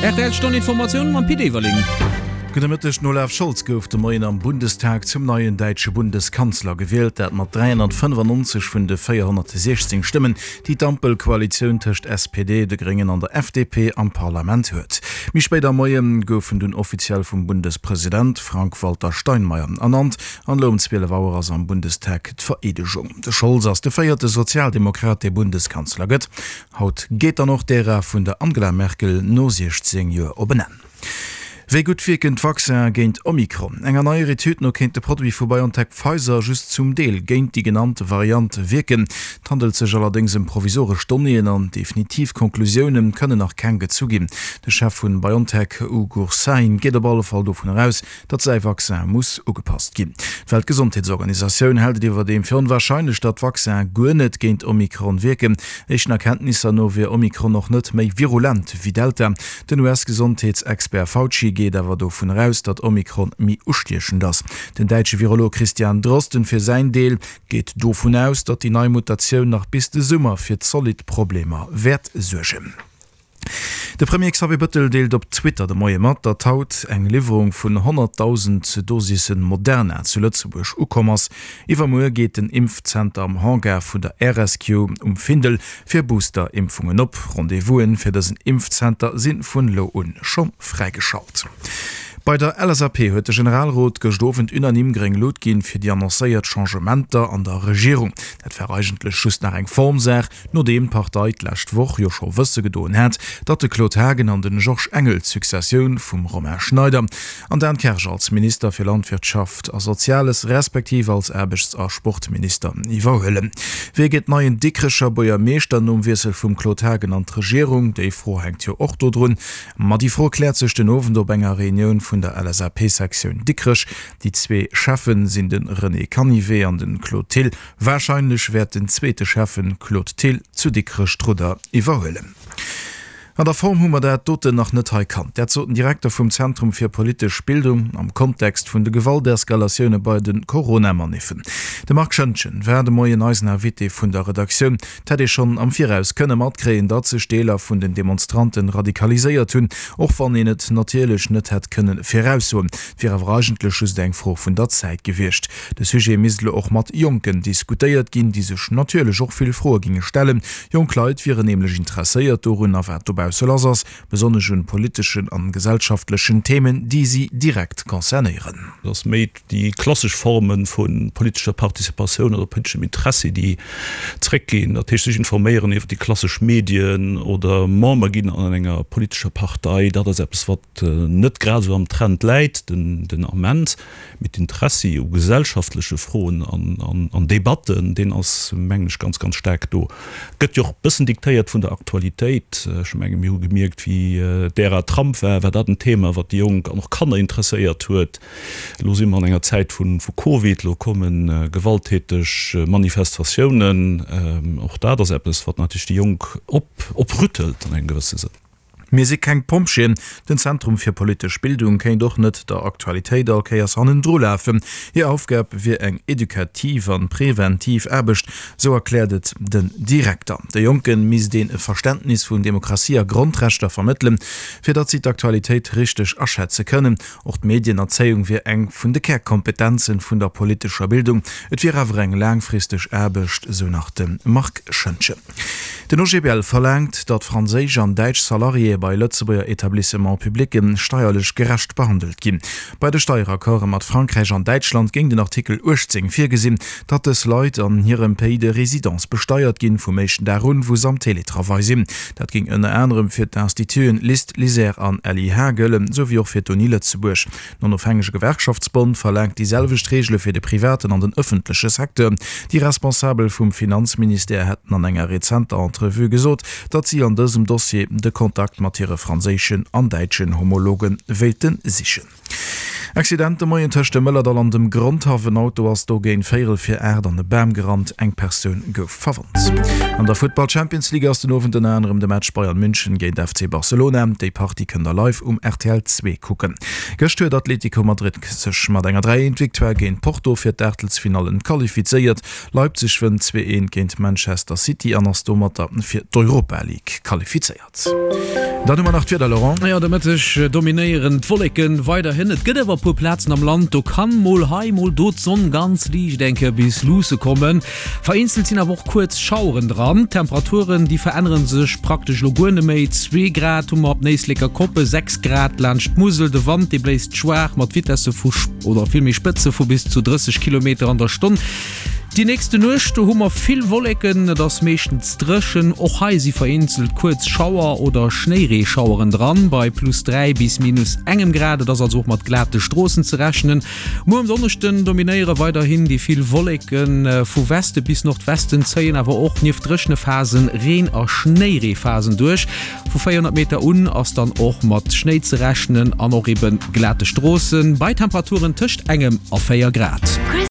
Rtl Stonn Informatioun mam Pit Everling. Gudde Mëtteg, Den Olaf Scholz gouf de Moien am Bundestag zum neien däitsche Bundeskanzler gewielt, dat mat 395 vun de 416 Stëmmen, déi d'Ampelkoalitioun tëscht SPD, de Gréngen an der FDP am Parlament huet. Méi spéit am Moie gouf en dunn offiziell vum Bundespresident Frank-Walter Steinmeier ernannt an elo um 12 Auer ass am Bundestag d'Vereedegung. De Scholz ass de véierte Sozialdemokrat, dee Bundeskanzler gëtt. Haut geet dann och d'Ära vun der Angela Merkel no 16 Joer op en Enn. Wéi gutt wierken d'Vaccinen géint Omikron? Enger neier Etüd no kéint de Produit vu BioNTech-Pfizer just zum Deel géint déi genannte Variant wierken. Et handelt sech allerdéngs ëm provisoresch Donnéeën an definitiv Konklusioune kënnen nach keng gezu ginn. De Chef vun BioNTech, Ugur Sahin, geet op alle Fall dovun eraus, datt säi Vaccin muss ugepasst ginn. D'Weltgesondheetsorganisatioun hält et iwwerdeem fir onwarscheinlech, datt d'Vaccinen guer net géint Omikron wierken. Éischten Erkenntnisser no wier Omikron och net méi virulent wéi Delta. Den US-Gesondheetsexpert Fauci geet awer dovun eraus, datt Omikron méi ustiechend ass. Den däitsche Virolog Christian Drosten fir säin Deel geet dovun aus, datt déi nei Mutatioun nach bis de Summer fir zolidd Problemer wäert suergen. De Premier Xavier Bëttel deelt op Twitter de Moie mat, datt haut eng Liwwerung vun 100.000 Dosisse Moderna zu Lëtzebuerg ukomm ass. Iwwermuer geet den Impfzenter am Hangar vun der RSQ um Findel fir Booster-Impfungen op. Rendez-vous'en fir dësen Impfzenter si vun elo un scho fräigeschalt. Bei der LSAP huet de Generalrot gëscht Owend unanime gréng Lut ginn fir déi annoncéiert Changementer an der Regierung. Dat war eigentlech just nach eng Formsaach, Nodeem d'Partei d'lescht Woch jo scho wësse gedoen hat, datt de Claude Haagen an den Georges Engel d'Successioun vum Romain Schneider an Dan Kersch als Minister fir Landwirtschaft a Soziales respektiv als Aarbechts a Sportminister iwwerhuelen. Wie gëtt neien Dikrecher Buergermeeschter nom Wiessel vum Claude Haagen an d'Regierung? Déi Fro hänkt jo och do drun. Ma déi Fro kläert sech den Owend op enger Reunioun vun der LSAP-Sektioun Dikrech. Déi zwee Cheffen sinn de René Canivet an de Claude Thill. Warscheinlech wäert den zweete Schäffen Claude Thill zu Dikrech d'Rudder iwwerhuelen. An der Form hu mer dat doten nach net hei kannt. Dat sot den Direkter vum Zentrum fir politesch Bildung am Kontext vun de Gewalteskalatioune bei de Corona-Maniffen. De Marc Schoentgen war de Moien eisen Invité vun der Redaktioun. Et hätt ee schonn am Viraus kënne matkréien, datt sech Deeler vun den Demonstranten radikaliséiert hunn, och wann een et natierlech net hätt kënne viraussoen. Et wier awer eigentlech just eng Fro vun der Zäit gewiescht. De Sujet misst elo och mat Jonken diskutéiert ginn, déi sech natierlech och vill Froe ginge stellen. Jonk Leit wieren nämlech interesséiert dorunner, wat dobausse lass ass, besonnesch un politeschen an gesellschaftlechen Themen, déi si direkt concernéieren. Et ass méi déi klassesch Forme vu politescher Participatioun oder politeschem Interessi, déi zréckginn. Dat heescht, sech informéieren iwwer déi klassesch Medien oder Member ginn an enger politescher Partei, dat ass eppes, wat net grad esou am Trend läit den Ament. Mee d'Interessi u gesellschaftleche Froen an Debatten, deen ass, mengen ech, ganz, ganz staark do. Gëtt jo och e bëssen diktéiert vun der Aktualitéit. Ech menge mir hu gemierkt, wéi d'Ära Trump war, war dat en Thema, wat déi Jonk an och Kanner interesséiert huet. Elo si mer an enger Zäit vu Covid, elo komme gewalttäteg Manifestatiounen. Och dat ass eppes, wat natierlech déi Jonk oprüttelt an engem gewësse Sënn. Mir si keng Pompjeeën. Den Zentrum fir politesch Bildung kéint och net der Aktualitéit all Kéiers hannendru lafen. Hir Aufgab wier eng edukativ an preventiv Aarbecht, sou erkläert et den Direkter. De Jonke misst een e Verständnis vun Demokratie a Grondrechter vermëttelen, fir datt si d'Aktualitéit richteg aschätze kënnen. Och d'Medienerzéiung wier eng vun de Kärkompetenzen vun der politescher Bildung. Et wier awer eng laangfristeg Aarbecht, sou nach de Marc Schoentgen. Den OGBL verlaangt, datt franséisch an däitsch Salariéë bei Lëtzebuerger Etablissements publics steierlech gerecht behandelt ginn. Bei de Steieraccorde mat Frankräich an Däitschland géing den Artikel 18 virgesinn, datt dës Leit an hirem Pays de résidence besteiert ginn, vum éischten Dag un, wou se am Télétravail sinn. Dat géing ënner anerem fir d'Instituten LIST, LISER an LIH gëllen, sou wéi och fir d'Uni Lëtzebuerg. Den Onofhängege Gewerkschaftsbond verlaangt déi selwecht Reegele fir de privaten an den ëffentleche Secteur. Déi Responsabel vum Finanzministère hätten an enger rezenter Entrevue gesot, datt si an dësem Dossier de Kontakt mat hire franséischen an däitschen Homologe wéilte sichen. Accident de Moien tëscht dem Mëllerdall an dem Grondhaff. En Auto ass do géint véierel vir 8 an e Bam gerannt. Eng Persoun gouf verwonnt. An der Futtball Champions League ass den Owend ënner anerem de Match Bayern München géint FC Barcelona. Déi Partie kënnt der live um rtl 2 kucken. Gëscht huet Atlético Madrid sech mat enger 3, 1 Victoire géint Porto fir d'Aachtelsfinallen qualifizéiert. Leipzig wënnt 2, 1 géint Manchester City an ass domatter fir d'Europa League qualifizéiert. Dann hu mer nach d'Wieder, Laurent. Jo, de Mëtteg dominéieren d'Wolleken weiderhin. Et gëtt awer e puer Plazen am Land, do kann mol hei, mol do d'Sonn ganz liicht eng Kéier bis luusse kommen. Vereenzelt sinn awer och kuerz Schaueren dran. D'Temperaturen, déi verännere sech praktesch elo guer net méi. Zwee Grad hu mer op Éisleker Koppe, 6 Grad laanscht d'Musel. De Wand, dee bléist schwaach mat Vitesse vu, oder villméi Spëtze vu bis zu 30 Kilometer an der Stonn. Déi nächste Nuecht, do hu mer vill Wolleken, et ass meeschtens dréchen. Och hei si vereenzelt kuerz Schauer oder Schnéireeschaueren dran, bei plus 3 bis minus engem Grad. Et ass also och mat glate Stroossen ze rechnen. Muer um Donneschden dominéiere weiderhin déi vill Wolleken. Vu Weste bis Nordwesten zéien awer och nieft dréchene Phasen Reen a Schnéireephasen duerch. Vu 400 Meter un ass dann och mat Schnéi ze rechnen an och ebe glate Stroossen, bei Temperaturen tëscht engem a 4 Grad.